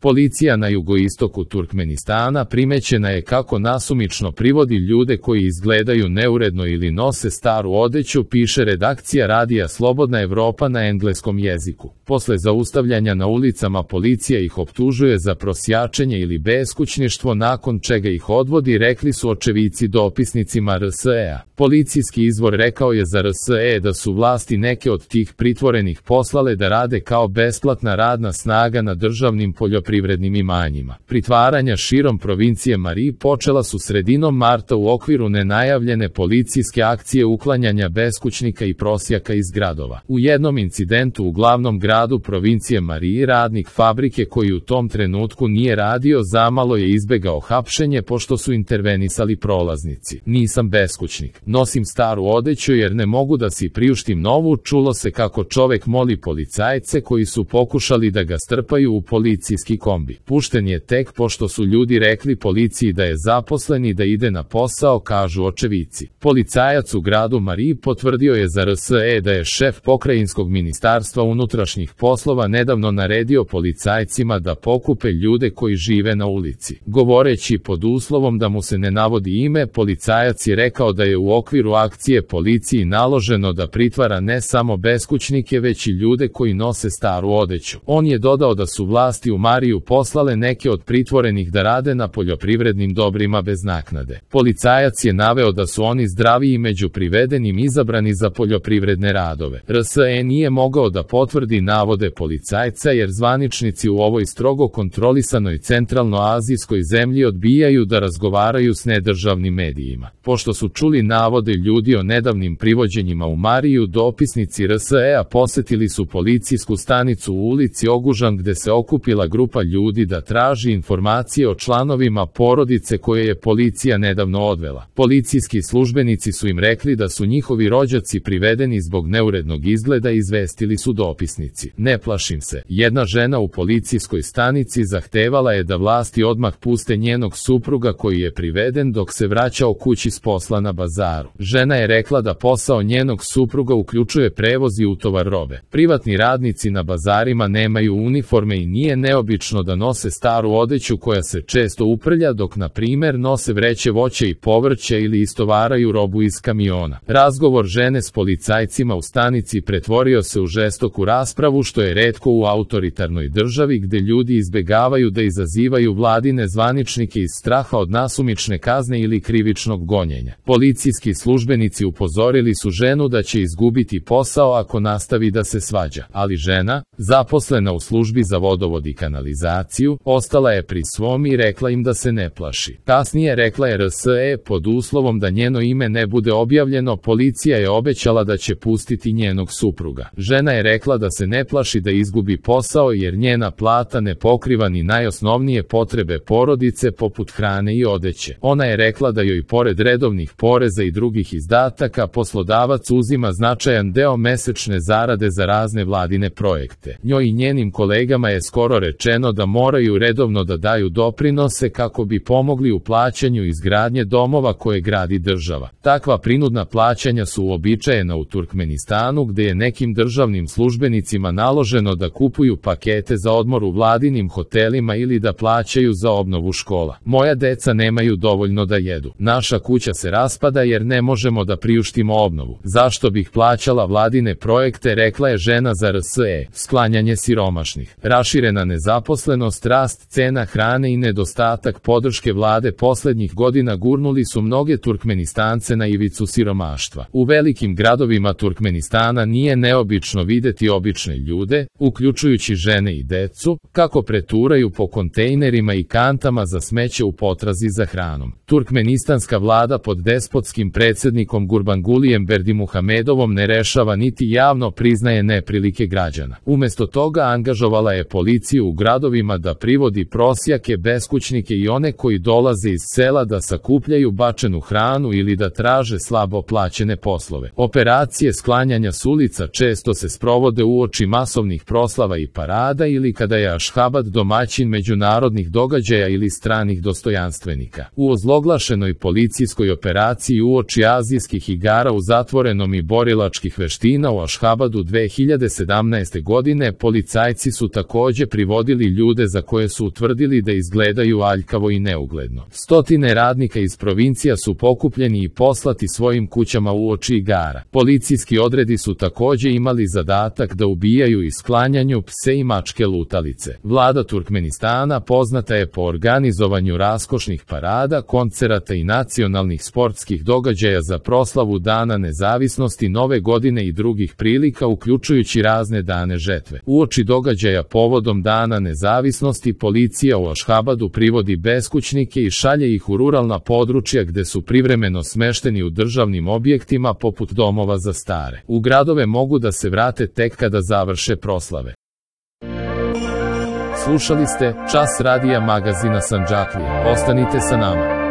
Policija na jugoistoku Turkmenistana primećena je kako nasumično privodi ljude koji izgledaju neuredno ili nose staru odeću, piše redakcija radija Slobodna Evropa na engleskom jeziku. Posle zaustavljanja na ulicama policija ih optužuje za prosjačenje ili beskućništvo, nakon čega ih odvodi, rekli su očevici dopisnicima RSE-a. Policijski izvor rekao je za RSE da su vlasti neke od tih pritvorenih poslale da rade kao besplatna radna snaga na državnim poljoprivrednim imanjima. Pritvaranja širom provincije Mari počela su sredinom marta u okviru nenajavljene policijske akcije uklanjanja beskućnika i prosjaka iz gradova. U jednom incidentu u glavnom gradu provincije Mari radnik fabrike koji u tom trenutku nije radio zamalo je izbegao hapšenje pošto su intervenisali prolaznici. Nisam beskućnik, nosim staru odeću jer ne mogu da si priuštim novu, čulo se kako čovek moli policajce koji su pokušali da ga strpaju u policijski kombi. Pušten je tek pošto su ljudi rekli policiji da je zaposlen i da ide na posao, kažu očevici. Policajac u gradu Mari potvrdio je za RSE da je šef pokrajinskog ministarstva unutrašnjih poslova nedavno naredio policajcima da pokupe ljude koji žive na ulici. Govoreći pod uslovom da mu se ne navodi ime, policajac je rekao da je u okviru akcije policiji naloženo da pritvara ne samo beskućnike već i ljude koji nose staru odeću. On je dodao da su vlasti u Mariju poslale neke od pritvorenih da rade na poljoprivrednim dobrima bez naknade. Policajac je naveo da su oni zdraviji među privedenim izabrani za poljoprivredne radove. RSE nije mogao da potvrdi navode policajca jer zvaničnici u ovoj strogo kontrolisanoj centralnoazijskoj zemlji odbijaju da razgovaraju s nedržavnim medijima. Pošto su čuli navode ljudi o nedavnim privođenjima u Mariju, dopisnici RSE-a posetili su policijsku stanicu u ulici Ogužan gde se okupila grupa ljudi da traži informacije o članovima porodice koje je policija nedavno odvela. Policijski službenici su im rekli da su njihovi rođaci privedeni zbog neurednog izgleda, izvestili su dopisnici. Ne plašim se. Jedna žena u policijskoj stanici zahtevala je da vlasti odmah puste njenog supruga koji je priveden dok se vraćao kući s posla na bazaru. Žena je rekla da posao njenog supruga uključuje prevoz i utovar robe. Privatni radnici na bazarima nemaju uniforme i nije neobično da nose staru odeću koja se često uprlja dok na primer nose vreće voća i povrća ili istovaraju robu iz kamiona. Razgovor žene s policajcima u stanici pretvorio se u žestoku raspravu što je retko u autoritarnoj državi gde ljudi izbegavaju da izazivaju vladine zvaničnike iz straha od nasumične kazne ili krivičnog gonjenja. Policijski službenici upozorili su ženu da će izgubiti posao ako nastavi da se svađa, ali žena, zaposlena u službi za vodovod i kanalizaciju, ostala je pri svom i rekla im da se ne plaši. Kasnije rekla je RSE pod uslovom da njeno ime ne bude objavljeno, policija je obećala da će pustiti njenog supruga. Žena je rekla da se ne plaši da izgubi posao jer njena plata ne pokriva ni najosnovnije potrebe porodice poput hrane i odeće. Ona je rekla da joj pored redovnih poreza i drugih izdataka poslodavac uzima značajan deo mesečne zarade za razne vladine projekte. Njoj i njenim kolegama je skoro rečeno da moraju redovno da daju doprinose kako bi pomogli u plaćanju izgradnje domova koje gradi država. Takva prinudna plaćanja su uobičajena u Turkmenistanu gde je nekim državnim službenicima naloženo da kupuju pakete za odmor u vladinim hotelima ili da plaćaju za obnovu škola. Moja deca nemaju dovoljno da jedu. Naša kuća se raspada jer ne možemo da priuštimo obnovu. Zašto bih plaćala vladine projekte, rekla je žena za RSE. Sklanjanje siromašnih. Raširena nezaposlenost, rast cena hrane i nedostatak podrške vlade poslednjih godina gurnuli su mnoge Turkmenistance na ivicu siromaštva. U velikim gradovima Turkmenistana nije neobično videti obične ljude, uključujući žene i decu, kako preturaju po kontejnerima i kantama za smeće u potrazi za hranom. Turkmenistanska vlada pod despotskim predsjednikom Gurbangulijem Berdimuhamedovom ne rešava niti javno priznaje neprilike građana. Umesto toga angažovala je policiju u gradovima da privodi prosjake, beskućnike i one koji dolaze iz sela da sakupljaju bačenu hranu ili da traže slabo plaćene poslove. Operacije sklanjanja s ulica često se sprovode uoči masovnih proslava i parada ili kada je Ašhabad domaćin međunarodnih događaja ili stranih dostojanstvenika. U ozloglašenoj policijskoj operaciji uoči azijskih igara u zatvorenom i borilačkih veština u Ašhabadu 2017. godine policajci su takođe privodili ljude za koje su utvrdili da izgledaju aljkavo i neugledno. Stotine radnika iz provincija su pokupljeni i poslati svojim kućama uoči igara. Policijski odredi su takođe imali zadatak da ubijaju i sklanjanju pse i mačke lutalice. Vlada Turkmenistana poznata je po organizovanju raskošnih parada, koncerata i nacionalnih sportskih događaja za proslavu Dana nezavisnosti, Nove godine i drugih prilika, uključujući razne dane žetve. Uoči događaja povodom Dana nezavisnosti policija u Ašhabadu privodi beskućnike i šalje ih u ruralna područja gde su privremeno smešteni u državnim objektima poput domova za stare. U gradove mogu da se vrate tek kada završe proslave. Slušali ste Čas radija magazina Sandžaklija. Ostanite sa nama.